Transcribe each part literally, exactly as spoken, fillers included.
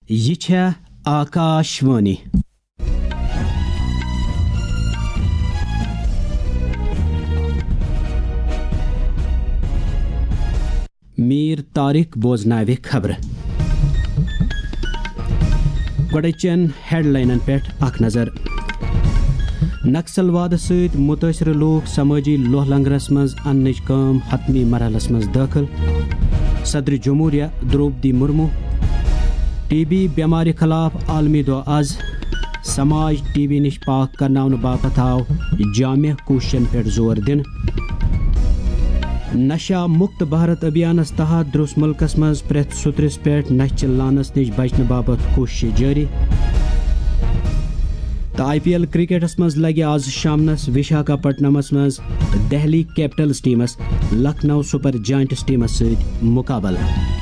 یہِ چھےٚ آکاش وانی۔ میٖر طارق بوزناوِ خبرٕ۔ گۄڈٕچٮ۪ن ہیڈلاینن پٮ۪ٹھ اکھ نظر۔ نکسل وادٕ سۭتۍ مُتٲثرٕ لوٗکھ سمٲجی لوہ لنگرس منٛز اننٕچ کٲم حتمی مرحلس منٛز دٲخل۔ صدر جمہوریہ درٛوپدی مرمو۔ ٹی بی بٮ۪مارِ خلاف عالمی دۄہ از۔ سماج ٹی بی نِش پاک کرناونہٕ باپتھ آو جامع کوٗششن پٮ۪ٹھ زور دِنہٕ۔ نشہ مکت بھارت ابھیانس تحت درٛوس مُلکس منٛز پرٛٮ۪تھ سُترِس پٮ۪ٹھ نشہِ چہِ لعنس نِش بچنہٕ باپتھ کوٗششہٕ جٲری۔ تہٕ آئی پی ایل کرکٹس منٛز لگہِ آز شامنس وشاکھاپٹنمس منٛز دہلی کیپٹلز ٹیمس لکھنؤ سپر جائنٹس ٹیمس سۭتۍ مقابلہٕ۔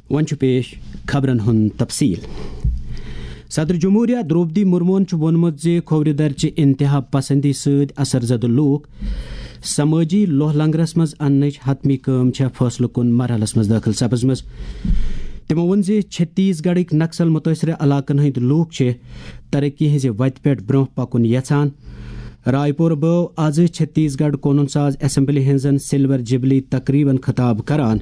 وۄنۍ چھُ پیش خبرن ہُنٛد تفصیل۔ صدر جمہوریہ درٛوپدی مرموہن چھُ ووٚنمُت زِ کھوورِ درچہِ انتہا پسندی سۭتۍ اثر زدٕ لوٗکھ سمٲجی لوہ لنگرس منٛز اننٕچ حتمی کٲم چھےٚ فٲصلہٕ کُن مرحلس منٛز دٲخل سپٕزمٕژ۔ تِمو ووٚن زِ چھتیس گڑھٕکۍ نکسل مُتٲثرٕ علاقن ہٕنٛدۍ لوٗکھ چھِ ترقی ہٕنٛزِ وتہِ پٮ۪ٹھ برٛونٛہہ پکُن یژھان۔ رائے پور بٲو آز چھتیس گڑھ قونوٗن ساز اسمبلی ہٕنٛزن سلور جبلی تقریبن خطاب کران۔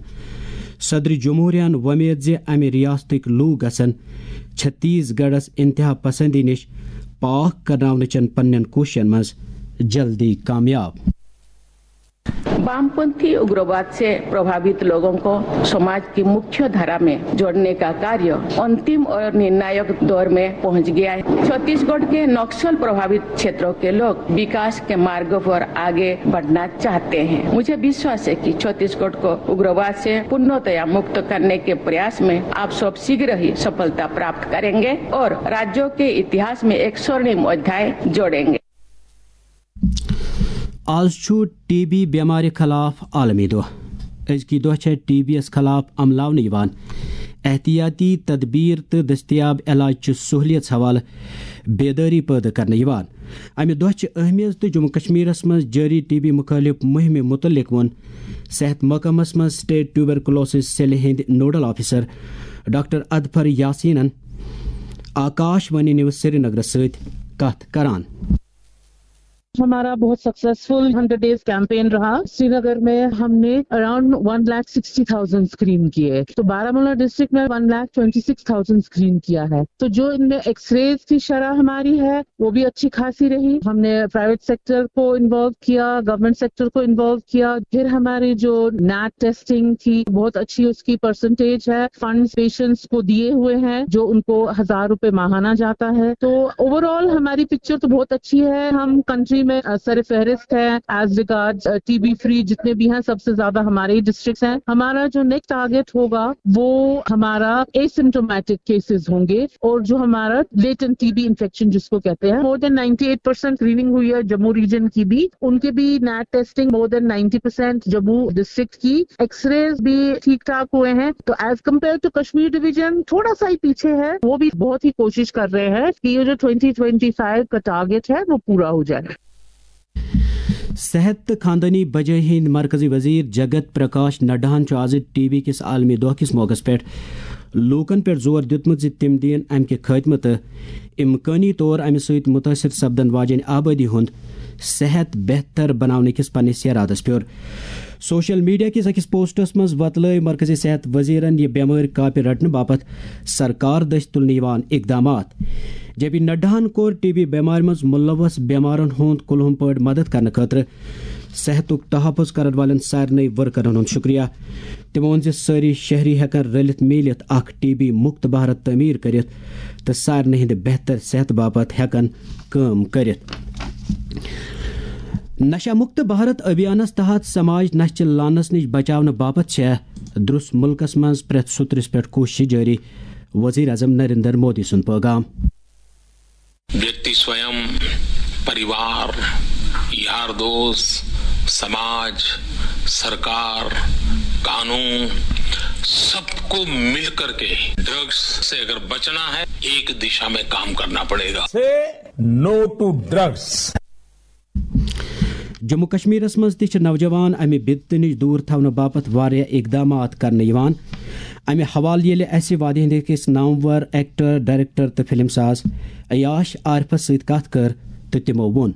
صدر جمہوریہن وۄمید زِ امہِ ریاستٕکۍ لوٗکھ گژھن چھتیس گڑھس انتہا پسندی نِش پاک کرناونٕچن پننٮ۪ن کوٗششن منٛز جلدی کامیاب۔ वामपंथी उग्रवाद से प्रभावित लोगों को समाज की मुख्य धारा में जोड़ने का कार्य अंतिम और निर्णायक दौर में पहुंच गया है। छत्तीसगढ़ के नक्सल प्रभावित क्षेत्रों के लोग विकास के मार्ग पर आगे बढ़ना चाहते हैं। मुझे विश्वास है कि छत्तीसगढ़ को उग्रवाद से पूर्णतया मुक्त करने के प्रयास में आप सब शीघ्र ही सफलता प्राप्त करेंगे और राज्यों के इतिहास में एक स्वर्णिम अध्याय जोड़ेंगे। آز چھُ ٹی بی بٮ۪مارِ خلاف عالمی دۄہ۔ أزکہِ دۄہ چھےٚ ٹی بی یَس خلاف عملاونہٕ یِوان احتیاطی تدبیر تہٕ دٔستیاب علاج چہِ سہولیژ حوالہٕ بیدٲری پٲدٕ کرنہٕ یِوان۔ امہِ دۄہ چھِ اہمیت تہٕ جموں کشمیرس منٛز جٲری ٹی بی مُخٲلف مُہِمہِ مُتعلق ووٚن صحت محکمس منٛز سٹیٹ ٹیوبرکلوسس سیلہِ ہٕنٛدۍ نوڈل آفیسر ڈاکٹر اظفر یاسینن آکاش وانی نیوز سرینگرس سۭتۍ کتھ کران۔ ہمارا بہت سکسیسفل ہنڈریڈ ڈیز کیمپین رہا۔ سرینگر میں ہم نے around one lakh sixty thousand screen کیے، تو بارامولہ ڈسٹرکٹ میں one lakh twenty six thousand screen کیا ہے۔ تو جو ان میں ایکس ریز کی شرح ہماری ہے، وہ بھی اچھی خاصی رہی۔ ہم نے پرائیویٹ سیکٹر کو انوالو کیا، گورنمنٹ سیکٹر کو انوالو کیا۔ پھر ہماری جو نیٹ ٹیسٹنگ تھی، بہت اچھی اس کی پرسنٹیج ہے۔ فنڈز پیشنٹس کو دیے ہوئے ہیں، جو ان کو ہزار روپے ماہانہ جاتا ہے۔ تو اوور آل ہماری پکچر تو بہت اچھی ہے۔ ہم کنٹری میں سر فہرست ہیں as regard T B free, جتنے بھی ہیں سب سے زیادہ ہمارے ہی ڈسٹرکٹس ہیں۔ ہمارا جو نیکسٹ ٹارگیٹ ہوگا، وہ ہمارا ایسمٹومیٹک کیسز ہوں گے، اور جو ہمارا لیٹنٹ ٹی بی انفیکشن جس کو کہتے ہیں، مور than ninety eight percent screening ہوئی ہے جموں ریجن کی بھی، ان کے بھی net testing more than ninety percent Jammu district کی، ایکس ریز بھی ٹھیک ٹھاک ہوئے ہیں۔ تو as compare to Kashmir division تھوڑا سا ہی پیچھے ہے، وہ بھی بہت ہی کوشش کر رہے ہیں کہ یہ جو ٹوئنٹی ٹوئنٹی فائیو کا ٹارگیٹ ہے، وہ پورا ہو جائے۔ صحت تہٕ خاندٲنی بجٲے ہٕنٛدۍ مرکزی وزیر جگت پرکاش نڈاہن چھُ آز ٹی بی کِس عالمی دۄہ کِس موقعس پٮ۪ٹھ لوٗکن پٮ۪ٹھ زور دیُتمُت زِ تِم دِیِن امہِ کہِ خٲتمہٕ تہٕ امکٲنی طور امہِ سۭتۍ مُتٲثر سپدن واجیٚنۍ آبٲدی ہُنٛد صحت بہتر بناونہٕ کِس پننِس ارادس پٮ۪ٹھ۔ سوشل میڈیا کِس أکِس پوسٹس منٛز وۄتلٲوۍ مرکزی صحت وزیرن یہِ بٮ۪مٲرۍ کاپہِ رٹنہٕ باپتھ سرکار دٔسۍ تُلنہٕ یِوان اقدامات، جے پی نڈاہن کوٚر ٹی بی بٮ۪مارِ منٛز مُلوث بٮ۪مارن ہُنٛد کُلہُم پٲٹھۍ مدد کرنہٕ خٲطرٕ صحتُک تحفظ کرن والٮ۪ن سارنٕے ورکرن ہُنٛد شُکریہ۔ تٔمۍ ووٚن زِ سٲری شہری ہٮ۪کن رٔلِتھ میٖلِتھ اکھ ٹی بی مُکت بھارت تعمیٖر کٔرِتھ تہٕ سارنٕے ہٕنٛدِ بہتر صحتہٕ باپتھ ہٮ۪کن کٲم کٔرِتھ۔ نشہ مکت بھارت ابھیانس تحت سماج نشہ چہِ لعنس نِش بچاونہٕ باپتھ چھےٚ درُس مُلکس منٛز پرٛٮ۪تھ سُترِس پٮ۪ٹھ کوٗشش جٲری، وزیر اعظم نریندر مودی سُنٛد پٲغام۔ व्यक्ति स्वयं, परिवार, यार दोस्त, समाज, सरकार, कानून, सबको मिलकर के ड्रग्स से अगर बचना है, एक दिशा में काम करना पड़ेगा। Say no to drugs. Jammu کشمیرس منٛز تہِ چھِ نوجوان امہِ بدعتہٕ نِش دوٗر تھاونہٕ باپتھ واریاہ اقدامات کرنہٕ یِوان۔ امہِ حوالہٕ ییٚلہِ اسہِ وادی ہندِ کِس نامور ایکٹر، ڈائریکٹر تہٕ فلم ساز عیاش عارفس سۭتۍ کتھ کٔر تہٕ تِمو ووٚن۔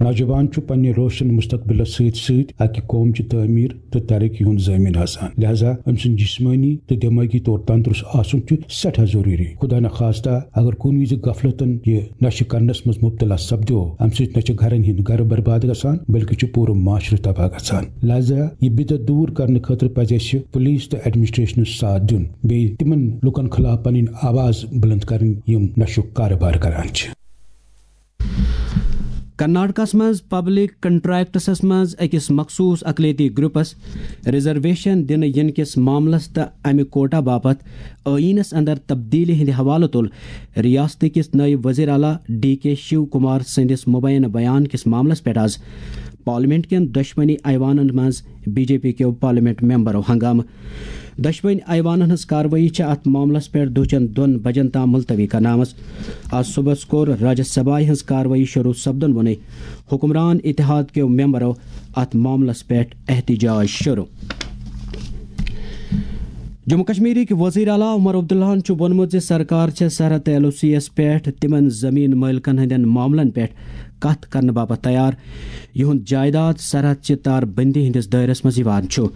نوجوان چھُ پننہِ روشن مستقبلس سۭتۍ سۭتۍ اکہِ قوم چہِ تعمیر تہٕ ترقی ہُنٛد ضٲمن آسان، لہذا أمۍ سُنٛد جسمٲنی تہٕ دمٲغی طور تندرست آسُن چھُ سٮ۪ٹھاہ ضروٗری۔ خدا نخواستہ اگر کُنہِ وِزِ غفلتن یہِ نشہٕ کرنس منٛز مبتلا سپدیو، امہِ سۭتۍ نہ چھِ گرن ہٕنٛدۍ گرٕ برباد گژھان، بلکہِ چھُ پوٗرٕ معاشرٕ تباہ گژھان۔ لہذا یہِ بدعت دوٗر کرنہٕ خٲطرٕ پزِ اسہِ پولیس تہٕ ایڈمنسٹریشنس ساتھ دیُن، بیٚیہِ تِمن لُکن خلاف پنٕنۍ آواز بلند کرٕنۍ، یِم نشُک کارٕبار کران چھِ۔ کرناٹکس منٛز پبلک کنٹریکٹسس منٛز أکِس مخصوٗص اقلیتی گروپس ریزرویشن دِنہٕ یِنہٕ کِس معاملس تہٕ امہِ کوٹا باپتھ ٲییٖنس اندر تبدیلی ہٕنٛدِ حوالہٕ تُل ریاست کِس نٲیِب وزیر اعلیٰ ڈی کے شیو کمار سٕنٛدِس مبینہٕ بیان کِس معاملس پٮ۪ٹھ آز پارلیمنٹ کٮ۪ن دۄشوٕنی ایوانن منٛز بی جے پی کیو پارلیمنٹ ممبرو ہنگامہٕ۔ دۄشوٕنۍ ایوانن ہٕنٛز کاروٲیی چھےٚ اتھ معاملس پٮ۪ٹھ دُہچٮ۪ن دۄن بجن تام ملتوی کرنہٕ آمٕژ۔ آز صبحس کوٚر راجیہ سبھایہ ہٕنٛز کاروٲیی شروع سپدن وُنے حکمران اتحاد کیو ممبرو اتھ معاملس پٮ۪ٹھ احتجاج شروع۔ جموں کشمیرٕکۍ وزیر اعلیٰ عمر عبداللہن چھُ ووٚنمُت زِ سرکار چھےٚ سرحد تہٕ ایل او سی یَس پٮ۪ٹھ تِمن زمین مٲلکن ہٕنٛدٮ۪ن معاملن پٮ۪ٹھ کتھ کرنہٕ باپتھ تیار، یِہُنٛد جائیداد سرحد چہِ تار بندی ہٕنٛدِس دٲیرس منٛز یِوان چھُ۔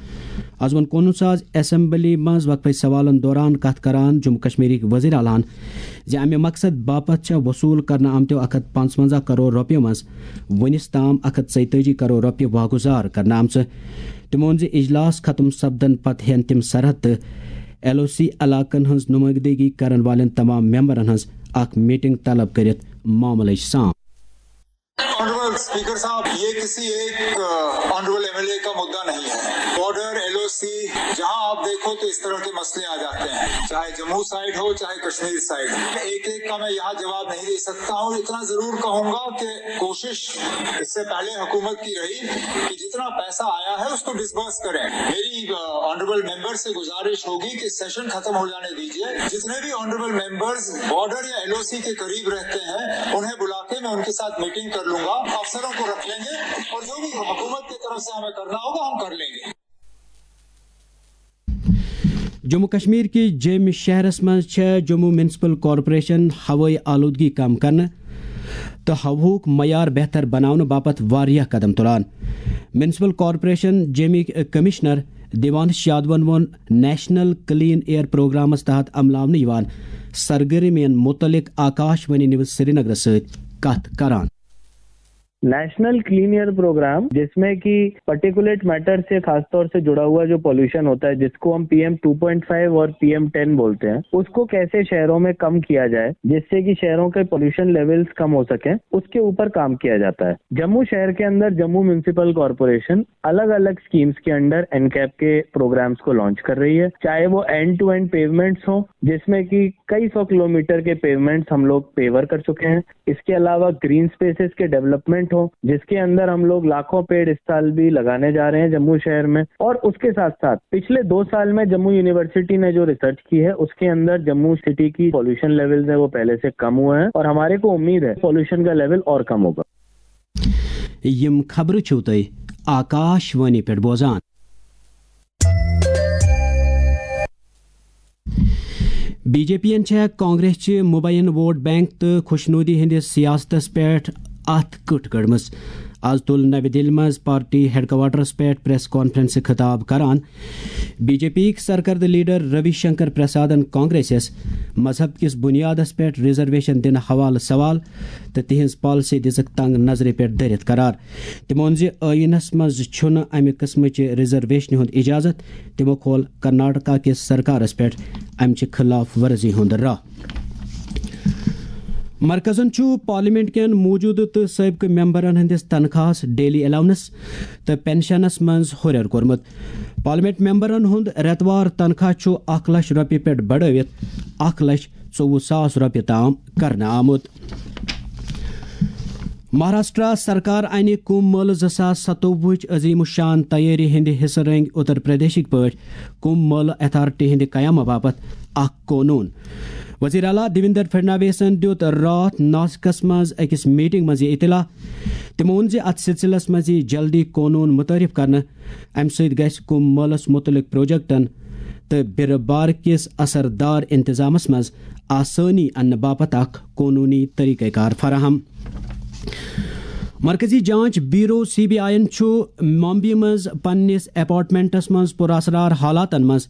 از ووٚن کُنوُہ ساس اسمبلی منٛز وقفہٕ سوالن دوران کتھ کران جموں کشمیرٕکۍ وزیر اعلیٰ ہن زِ امہِ مقصد باپتھ چھےٚ وصوٗل کرنہٕ آمتیو اکھ ہتھ پانٛژونٛزاہ کرور رۄپیو منٛز وُنِس تام اکھ ہتھ ژۄیتٲجی کرور رۄپیہِ واگُزار کرنہٕ آمژٕ۔ تِمو ووٚن زِ اجلاس ختم سپدن پتہٕ ہٮ۪ن تِم سرحد تہٕ ایل او سی علاقن ہٕنٛز نُمٲیندگی کرن والٮ۪ن تمام ممبرن ہٕنٛز اکھ میٹنگ طلب کٔرِتھ معاملٕچ سام۔ ऑनरेबल स्पीकर साहब, ये किसी एक ऑनरेबल एमएलए का मुद्दा नहीं है। बॉर्डर, एलओसी, जहां आप देखो तो इस तरह के मसले आ जाते हैं, चाहे जम्मू साइड हो, चाहे कश्मीर साइड। एक एक का मैं यहाँ जवाब नहीं दे सकता हूँ। इतना जरूर कहूंगा कि कोशिश इससे पहले हुकूमत की रही कि जितना पैसा आया है उसको डिसबर्स करें। मेरी ऑनरेबल मेंबर से गुजारिश होगी कि सेशन खत्म हो जाने दीजिए। जितने भी ऑनरेबल मेंबर्स बॉर्डर या एलओसी के करीब रहते हैं, उन्हें बुला के मैं उनके साथ मीटिंग कर लूंगा, अफसरों को रख लेंगे और जो भी हुकूमत की तरफ से हमें करना होगा, हम कर लेंगे। جموں کشمیر کِس جیٚمہِ شہرس منٛز چھےٚ جموں میونسپل کارپوریشن ہوٲیی آلودگی کم کرنہٕ تہٕ ہوہُک معیار بہتر بناونہٕ باپتھ واریاہ قدم تُلان۔ میونسپل کارپوریشن جیٚمِکۍ کمشنر دیوانش یادون ووٚن نیشنل کلین ایئر پروگرامس تحت عملاونہٕ یِوان سرگرمین متعلق آکاش وانی نیوز سرینگرس سۭتۍ کتھ کران۔ نیشنل کلین ایئر پروگرام، جس میں کہ پرٹیکولیٹ میٹر سے خاص طور سے جڑا ہوا جو پولوشن ہوتا ہے، جس کو ہم P M two point five اور پی ایم ٹین بولتے ہیں، اس کو کیسے شہروں میں کم کیا جائے جس سے کہ شہروں کے پولوشن لیولز کم ہو سکیں، اس کے اوپر کام کیا جاتا ہے۔ جموں شہر کے اندر جموں میونسپل کارپوریشن الگ الگ اسکیمز کے انڈر این کیپ کے پروگرامز کو لانچ کر رہی ہے، چاہے وہ اینڈ ٹو اینڈ پیومنٹس ہوں، جس میں کہ کئی سو کلومیٹر کے پیومنٹس ہم لوگ پیور کر چکے ہیں۔ اس کے علاوہ گرین اسپیسز کے ڈیولپمنٹ ہو، جس کے اندر ہم لوگ لاکھوں پیڑ اس سال بھی لگانے جا رہے ہیں جموں شہر میں۔ اور اس کے ساتھ ساتھ پچھلے دو سال میں جموں یونیورسٹی نے جو ریسرچ کی ہے، اس کے اندر جموں سٹی کی پولوشن لیولز ہیں، وہ پہلے سے کم ہوئے ہیں اور ہمارے کو امید ہے پولوشن کا لیول اور کم ہوگا۔ یِم خبرٕ چھِو تُہۍ آکاش وانی پٮ۪ٹھ بوزان۔ بی جے پی یَن چھےٚ کانگریس چہِ مبین ووٹ بینک تہٕ خوشنودی ہٕنٛدِس سیاستس پٮ۪ٹھ اتھ کٕٹھ کٔڑمٕژ۔ از تُل نوِ دِلہِ منٛز پارٹی ہیڈ کوارٹرس پٮ۪ٹھ پریس کانفرنسہِ خطاب کران بی جے پی یِکۍ سرکردٕ لیڈر روی شنکر پرسادن کانگریسس مذہب کِس بنیادس پٮ۪ٹھ ریزرویشن دِنہٕ حوالہٕ سوال تہٕ تِہنٛز پالیسی دِژٕکھ تنگ نظرِ پٮ۪ٹھ دٔرِتھ قرار۔ تِمو ووٚن زِ ٲییٖنَس منٛز چھُنہٕ اَمہِ قٕسمٕچہِ ریزرویشنہِ ہُنٛد اجازت۔ تِمو کھول کرناٹکا کِس سرکارَس پٮ۪ٹھ اَمہِ چہِ خلاف ورزی ہُنٛد راہ۔ مرکزَن چھُ پارلیمنٹ کٮ۪ن موٗجوٗدٕ تہٕ سٲبقہٕ ممبرَن ہٕنٛدِس تنخواہَس، ڈیلی الاونس تہٕ پنشنَس منٛز ہُرٮ۪ر کوٚرمُت۔ پارلیمنٹ ممبرَن ہُنٛد رٮ۪توار تنخواہ چھُ اکھ لچھ رۄپیہِ پٮ۪ٹھ بڑٲوِتھ اکھ لچھ ژوٚوُہ ساس رۄپیہِ تام کرنہٕ آمُت۔ مہاراشٹرا سرکار انہِ کُمبھ مٲلہٕ زٕ ساس ستووُہٕچ عظیم الشان تیٲری ہٕنٛدِ حصہٕ رٔنگۍ اتر پردیشٕکۍ پٲٹھۍ کُمبھ مٲلہٕ اتھارٹی ہٕنٛدِ قیامہٕ باپتھ اکھ قونوٗن۔ وزیر اعلیٰ دیویندر فڈنویسن دیُت راتھ ناسکس منٛز أکِس میٹنگ منٛز یہِ اطلاع۔ تٔمۍ ووٚن زِ اتھ سلسلس منٛز یِیہِ جلدی قونوٗن متعارف کرنہٕ۔ امہِ سۭتۍ گژھِ کُمبھ مٲلس مُتعلق پروجیکٹن تہٕ بیرٕ بار کِس اثردار انتظامس منٛز آسٲنی اننہٕ باپتھ اکھ قونوٗنی طریقہ کار فراہم۔ مرکزی جانچ بیورو، سی بی آئی یَن چھُ ممبئی منٛز پننِس اپارٹمنٹس منٛز پُراسرار حالاتن منٛز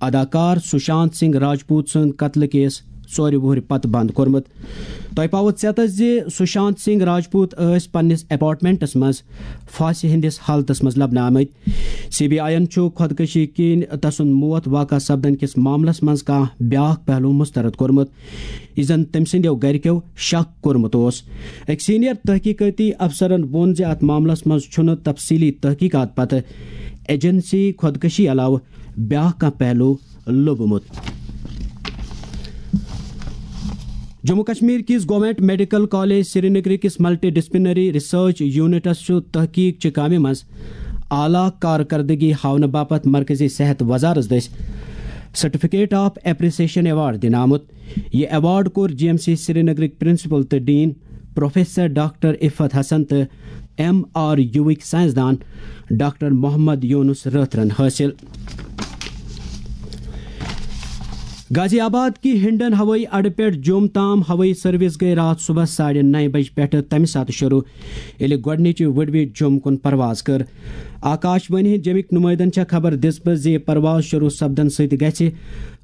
اداکار سشانت سنگھ راجپوت سٕنٛد قتلہٕ کیس ژورِ وُہرِ پتہٕ بند کوٚرمُت۔ تۄہہِ پاوو ژیتس زِ سشانت سنگھ راجپوت ٲسۍ پننِس اپارٹمنٹس منٛز پھاسہِ ہٕنٛدِس حالتس منٛز لبنہٕ آمٕتۍ۔ سی بی آئی یَن چھُ خۄدکشی کِنۍ تسُنٛد موت واقع سپدن کِس معاملس منٛز کانٛہہ بیاکھ پہلو مسترد کوٚرمُت، یہِ زن تٔمۍ سٕنٛدیو گرِکیو شک کوٚرمُت اوس۔ أکۍ سینئر تحقیقٲتی افسرن ووٚن زِ اتھ معاملس منٛز چھُنہٕ تفصیلی تحقیقات پتہٕ ایجنسی خۄدکشی علاوٕ بیاکھ کانٛہہ پہلو لوٚبمُت۔ جموں کشمیر کِس گورنمنٹ میڈیکل کالج سرینگر کِس ملٹی ڈسپلنری ریسرچ یونٹس چھُ تحقیق چہِ کامہِ منٛز اعلیٰ کارکردگی ہاونہٕ باپتھ مرکزی صحت وزارت دٔسۍ سرٹیفکیٹ آف اپریسیشن ایوارڈ دِنہٕ آمُت۔ یہِ ایوارڈ کوٚر جی ایم سی سرینگرٕکۍ پرنسپل تہٕ ڈین پروفیسر ڈاکٹر عفت حسن تہٕ ایم آر یوٕکۍ سائنسدان ڈاکٹر محمد یونس رٲتھرن حٲصِل۔ غازی آباد کہِ ہنڈن ہوٲیی اڈٕ پٮ۪ٹھ جوٚم تام ہوٲیی سروس گٔے راتھ صبحس ساڑِ نَیہِ بجہِ پٮ۪ٹھٕ تَمہِ ساتہٕ شروع، ییٚلہِ گۄڈٕنِچہِ وُڈوِچ جوٚم کُن پرواز کٔر۔ آکاش وانی ہٕنٛدۍ جیمٕکۍ نُمٲیدن چھےٚ خبر دِژمٕژ زِ یہِ پرواز شروع سپدن سۭتۍ گژھِ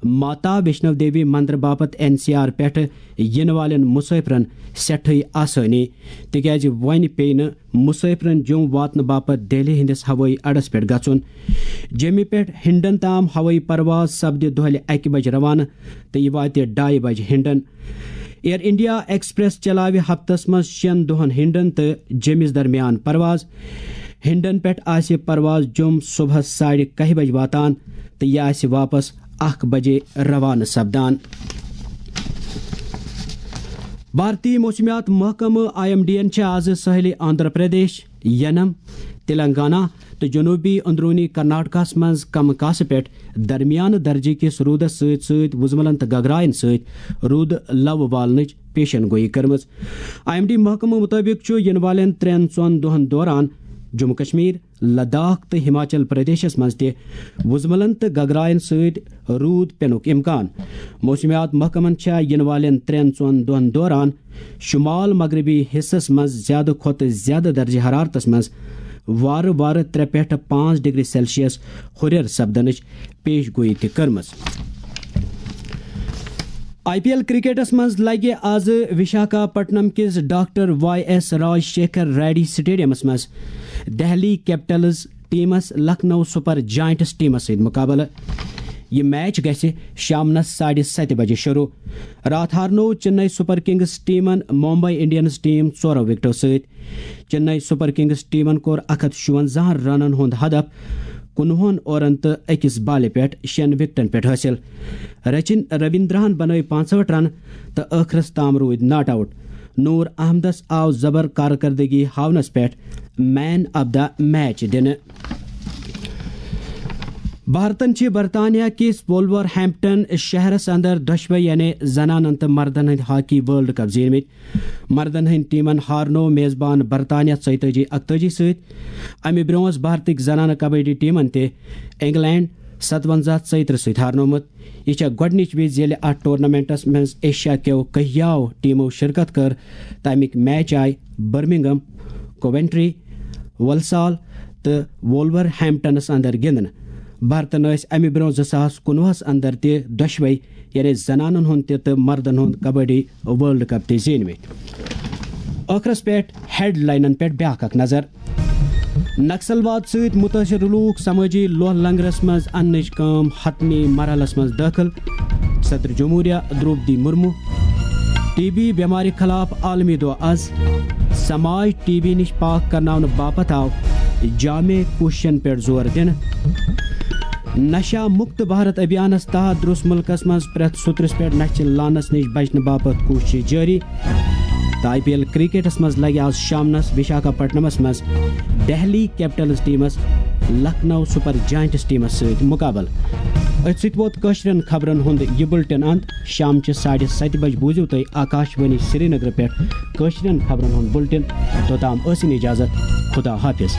ماتا ویشنو دیوی مندر باپتھ این سی آر پٮ۪ٹھٕ یِنہٕ والٮ۪ن مُسٲفرن سٮ۪ٹھٕے آسٲنی، تِکیازِ وۄنۍ پیٚیہِ نہٕ مُسٲفرن جوٚم واتنہٕ باپتھ دہلی ہٕنٛدِس ہوٲیی اڈس پٮ۪ٹھ گژھُن۔ جیمہِ پٮ۪ٹھ ہنڈن تام ہوٲیی پرواز سپدِ دۄہلہِ اَکہِ بجہِ روانہٕ تہٕ یہِ واتہِ ڈایہِ بجہِ ہنڈن۔ ایئر انڈیا ایکسپریس چلاوِ ہفتس منٛز شٮ۪ن دۄہن ہنڈن تہٕ جیمِس درمیان پرواز۔ ہنڈن پٮ۪ٹھ آسہِ پرواز جوٚم صبحس ساڑِ کاہہِ بجہِ واتان تہٕ یہِ آسہِ واپس اکھ بجے روانہٕ سپدان۔ بھارتی موسمیات محکمہٕ آئی ایم ڈی یَن چھِ آز ساحلی آندھرا پردیش، ینم، تلنگانہ تہٕ جنوبی اندرونی کرناٹکس منٛز کم کاسہٕ پٮ۪ٹھ درمیانہٕ درجہٕ کِس روٗدس سۭتۍ سۭتۍ وُزملن تہٕ گگراین سۭتۍ روٗدٕ لَو والنٕچ پیشن گویی کٔرمٕژ۔ آئی ایم ڈی محکمہٕ مُطٲبِق چھُ یِنہٕ والٮ۪ن ترٛٮ۪ن ژۄن دۄہَن دوران جموں کشمیر، لداخ تہٕ ہماچل پردیشس منٛز تہِ وُزملن تہٕ گگراین سۭتۍ روٗد پینُک امکان۔ موسمیات محکمن چھےٚ یِنہٕ والٮ۪ن ترٛٮ۪ن ژۄن دۄہَن دوران شمال مغربی حصس منٛز زیادٕ کھۄتہٕ زیادٕ درجہ حرارتس منٛز وارٕ وارٕ ترٛےٚ پٮ۪ٹھٕ پانٛژھ ڈگری سیلسیس ہُرٮ۪ر سپدنٕچ پیش گویی تہِ کٔرمٕژ۔ آئی پی ایل کرکٹس منٛز لگہِ آز وشاکھاپٹنم کِس ڈاکٹر وائی ایس راج شیکھر ریڈی سٹیڈیمس منٛز دہلی کیپٹلز ٹیمس لکھنؤ سپر جائنٹس ٹیمس سۭتۍ مقابلہٕ۔ یہِ میچ گژھِ شامنس ساڑِ ستہِ بجہِ شروع۔ راتھ ہارنوو چنئی سپر کنگز ٹیمن ممبئی انڈینز ٹیم ژورو وکٹو سۭتۍ۔ چنئی سپر کنگز ٹیمن کوٚر اکھ ہتھ شُونزاہن رنن ہُنٛد ہدف کُنوُہن اورن تہٕ أکِس بالہِ پٮ۪ٹھ شٮ۪ن وکٹن پٮ۪ٹھ حٲصِل۔ رچن رویندرہن بنٲوۍ پانٛژہٲٹھ رن تہٕ ٲخرس تام روٗدۍ ناٹ آوٹ۔ نور احمدس آو زبر کارکردگی ہاونس پٮ۪ٹھ مین آف دا میچ دِنہٕ۔ بھارتن چھِ برطانیہ کِس وولور ہیمپٹن شہرس اندر دۄشوے یعنی زنانن تہٕ مردن ہٕنٛدۍ ہاکی ورلڈ کپ زیٖنمٕتۍ۔ مردن ہٕنٛدۍ ٹیمن ہارنوو میزبان برطانیہ ژۄیتٲجی اکتٲجی سۭتۍ۔ امہِ برونٛہہ ٲس بھارتٕکۍ زنانہٕ کبڈی ٹیمن تہِ انگلینڈ ستونزہ ژۄیترٕہ سۭتۍ ہارنوومُت۔ یہِ چھےٚ گۄڈٕنِچ وِزِ ییٚلہِ اتھ ٹورنامنٹس منٛز ایشیا کیو کٔہیاو ٹیمو شرکت کٔر تہٕ امیِکۍ میچ آیہِ برمنگم، کوونٹری، ولسال تہٕ وولور ہیمپٹنس اندر گِنٛدنہٕ۔ بھارتن ٲسۍ امہِ برونٛہہ زٕ ساس کُنوُہس اندر تہِ دۄشوے یعنی زنانن ہُنٛد تہِ تہٕ مردن ہُنٛد کبڈی ورلڈ کپ تہِ زیٖنمٕتۍ۔ ٲخرس پٮ۪ٹھ ہیڈ لاینن پٮ۪ٹھ بیاکھ اکھ نظر۔ نکسلواد سۭتۍ مُتٲثر لوٗکھ سمٲجی لوہ لنگرس منٛز اننٕچ کٲم حتمی مرحلس منٛز دٲخل۔ صدر جمہوریہ درٛوپدی مرمو۔ ٹی بی بٮ۪مارِ خلاف عالمی دۄہ از۔ سماج ٹی بی نِش پاک کرناونہٕ باپتھ آو جامع کوٗششن پٮ۪ٹھ زور دِنہٕ۔ نشہ مکت بھارت ابھیانس تحت درٛوس مُلکس منٛز پرٛٮ۪تھ سُترس پٮ۪ٹھ نشہِ لعنس نِش بچنہٕ باپتھ کوٗشش جٲری۔ تہٕ آئی پی ایل کرکٹس منٛز لگہِ آز شامنس وشاکھاپٹنمس منٛز دہلی کیپٹلز ٹیمس لکھنؤ سپر جائنٹس ٹیمس سۭتۍ مقابلہٕ۔ أتھۍ سۭتۍ ووت کٲشرٮ۪ن خبرن ہُنٛد یہِ بُلٹن انت۔ شامچہِ ساڑِ ستہِ بجہِ بوٗزِو تُہۍ آکاش وانی سرینگر پٮ۪ٹھ کٲشرٮ۪ن خبرن ہُنٛد بُلٹن۔ توٚتام ٲسِن اجازت۔ خدا حافظ۔